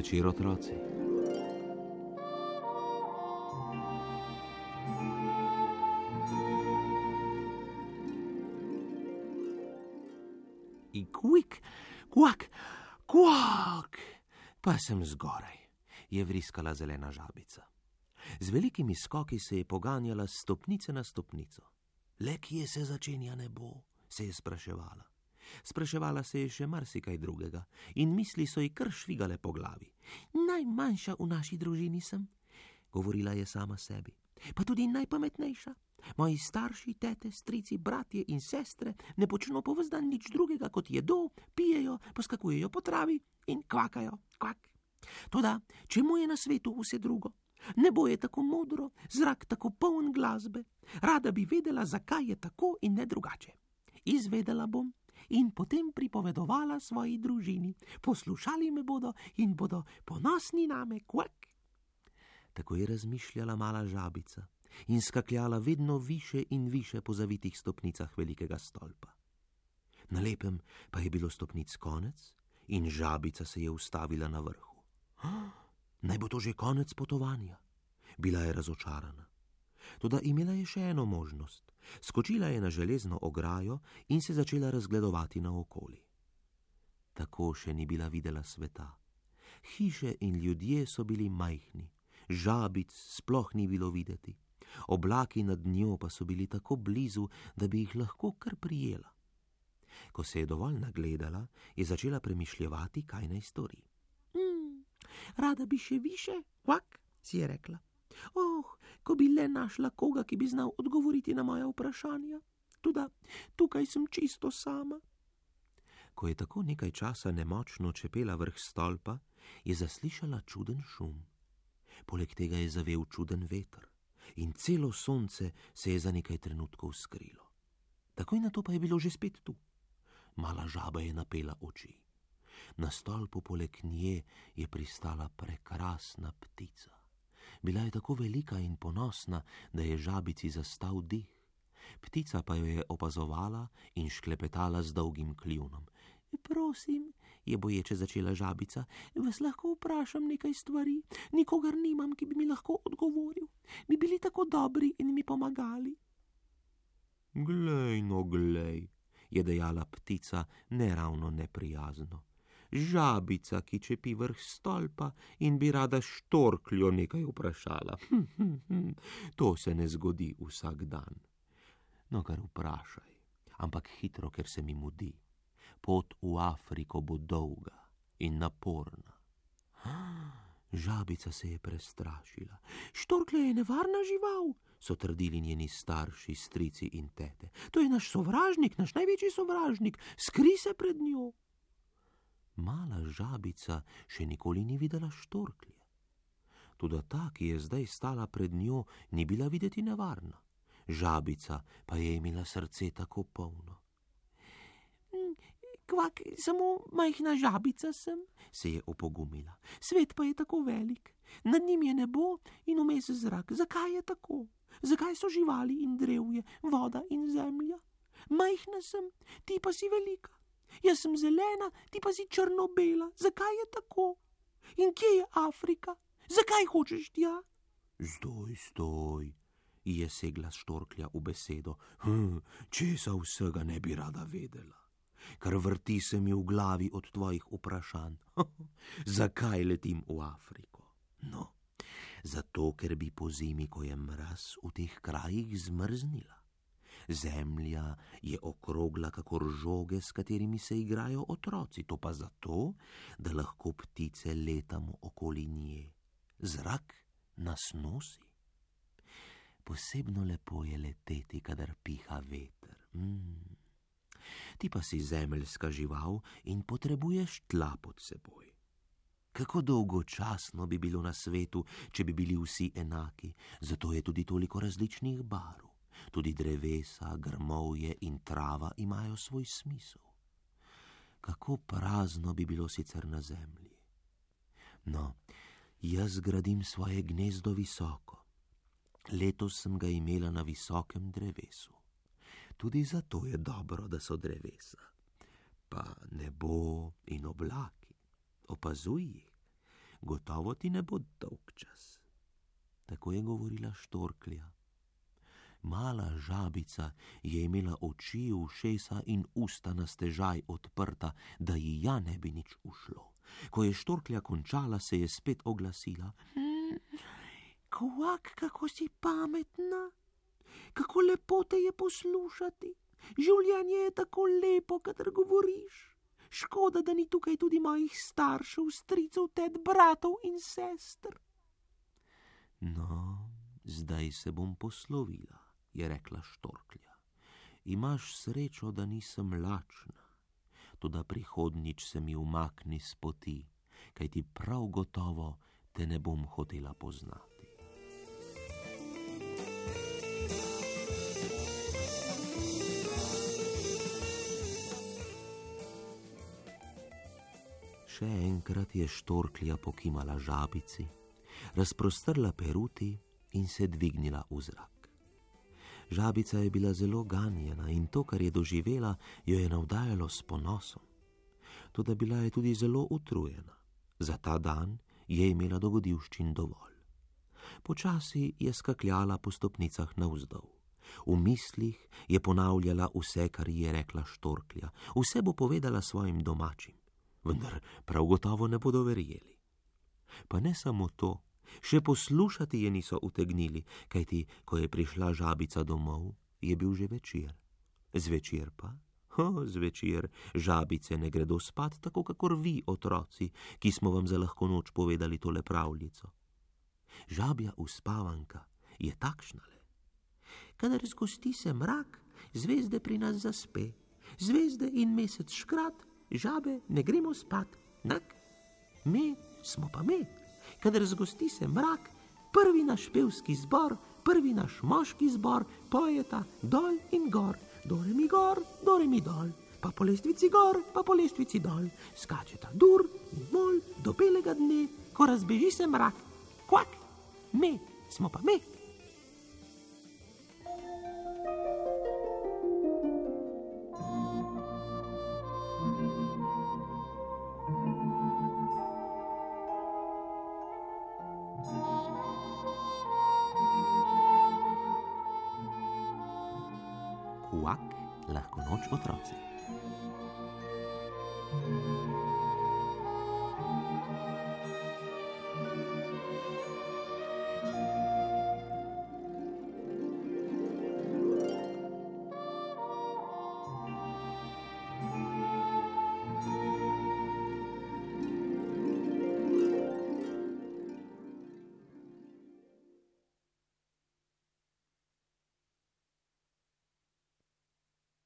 večer, otroci. Kvik, kvak, kvak, pa sem zgoraj, je vriskala zelena žabica. Z velikimi skoki se je poganjala stopnice na stopnico. Le kje se začenja nebo, se je spraševala. Spraševala se je še marsikaj drugega in misli so ji kar švigale po glavi. Najmanjša v naši družini sem, govorila je sama sebi, pa tudi najpametnejša. Moji starši, tete, strici, bratje in sestre ne počno po ves dan nič drugega, kot jedo, pijejo, poskakujejo po travi in kvakajo, kvak. Toda, čemu je na svetu vse drugo? Nebo je tako modro, zrak tako poln glasbe. Rada bi vedela, zakaj je tako in ne drugače. Izvedela bom in potem pripovedovala svoji družini. Poslušali me bodo in bodo ponosni name, kvak. Tako je razmišljala mala žabica in skakljala vedno više in više po zavitih stopnicah velikega stolpa. Na lepem pa je bilo stopnic konec in žabica se je ustavila na vrhu. Naj bo to že konec potovanja. Bila je razočarana. Toda imela je še eno možnost. Skočila je na železno ograjo in se začela razgledovati naokoli. Tako še ni bila videla sveta. Hiše in ljudje so bili majhni, žabic sploh ni bilo videti. Oblaki nad njo pa so bili tako blizu, da bi jih lahko kar prijela. Ko se je dovolj nagledala, je začela premišljevati, kaj naj stori. Rada bi še više, kvak, si je rekla. Ko bi le našla koga, ki bi znal odgovoriti na moja vprašanja. Toda tukaj sem čisto sama. Ko je tako nekaj časa nemočno čepela vrh stolpa, je zaslišala čuden šum. Poleg tega je zavel čuden veter in celo sonce se je za nekaj trenutkov skrilo. Takoj nato pa je bilo že spet tu. Mala žaba je napela oči. Na stolpu poleg nje je pristala prekrasna ptica. Bila je tako velika in ponosna, da je žabici zastal dih. Ptica pa jo je opazovala in šklepetala z dolgim kljunom. Prosim, je boječe začela žabica, vas lahko vprašam nekaj stvari? Nikogar nimam, ki bi mi lahko odgovoril. Bi bili tako dobri in mi pomagali. Glej, no glej, je dejala ptica neravno neprijazno. Žabica, ki čepi vrh stolpa in bi rada štorkljo nekaj vprašala. To se ne zgodi vsak dan. No, kar vprašaj, ampak hitro, ker se mi mudi. Pot v Afriko bo dolga in naporna. Žabica se je prestrašila. Štorklja je nevarna žival, so trdili njeni starši, strici in tete. To je naš sovražnik, naš največji sovražnik. Skri se pred njo. Mala žabica še nikoli ni videla štorklje. Toda ta, ki je zdaj stala pred njo, ni bila videti nevarna. Žabica pa je imela srce tako polno. Kvak, samo majhna žabica sem, se je opogumila. Svet pa je tako velik. Nad njim je nebo in vmes zrak. Zakaj je tako? Zakaj so živali in drevje, voda in zemlja? Majhna sem, ti pa si velika. Jaz sem zelena, ti pa si črno-bela. Zakaj je tako? In kje je Afrika? Zakaj hočeš tja? Stoj, je segla štorklja v besedo. Česa vsega ne bi rada vedela? Kar vrti se mi v glavi od tvojih vprašanj. Zakaj letim v Afriko? No, zato, ker bi po zimi, ko je mraz, v teh krajih zmrznila. Zemlja je okrogla kakor žoge, s katerimi se igrajo otroci, to pa zato, da lahko ptice letamo okoli nje. Zrak nas nosi. Posebno lepo je leteti, kadar piha veter. Ti pa si zemeljska žival in potrebuješ tla pod seboj. Kako dolgočasno bi bilo na svetu, če bi bili vsi enaki, zato je tudi toliko različnih barv. Tudi drevesa, grmovje in trava imajo svoj smisel. Kako prazno bi bilo sicer na zemlji. No, jaz gradim svoje gnezdo visoko. Letos sem ga imela na visokem drevesu. Tudi zato je dobro, da so drevesa. Pa nebo in oblaki. Opazuj jih. gotovo ti ne bo dolgčas. Tako je govorila štorklja. Mala žabica je imela oči, ušesa in usta na stežaj odprta, da ji ja ne bi nič ušlo. Ko je štorklja končala, se je spet oglasila. Kvak, kako si pametna, kako lepo te je poslušati. Življenje je tako lepo, kadar govoriš. Škoda, da ni tukaj tudi mojih staršev, stricev, tet, bratov in sester. No, zdaj se bom poslovila, je rekla štorklja. Imaš srečo, da nisem lačna, toda prihodnjič se mi umakni s poti, kajti prav gotovo te ne bom hotela poznati. Še enkrat je štorklja pokimala žabici, razprostrla peruti in se dvignila v zrak. Žabica je bila zelo ganjena in to, kar je doživela, jo je navdajalo s ponosom. Toda bila je tudi zelo utrujena. Za ta dan je imela dogodivščin dovolj. Počasi je skakljala po stopnicah navzdol. V mislih je ponavljala vse, kar ji je rekla štorklja. Vse bo povedala svojim domačim, vendar prav gotovo ne bodo verjeli. Pa ne samo to, še poslušati je niso utegnili, kajti, ko je prišla žabica domov, je bil že večer. Zvečer pa? Zvečer žabice ne gredo spat, tako kakor vi, otroci, ki smo vam za lahko noč povedali tole pravljico. Žabja uspavanka je takšnale. Kadar zgosti se mrak, zvezde pri nas zaspe. Zvezde in mesec škrat, žabe ne gremo spat. Nak, mi smo pa mi. Kadar zgosti se mrak, prvi naš pevski zbor, prvi naš moški zbor pojeta dol in gor, dore mi gor, dore mi dol, pa po lestvici gor, pa po lestvici dol, skačeta dur in mol do belega dne, ko razbeži se mrak. Kvak, mi smo pa mi. Kvak, lahko noč, otroci.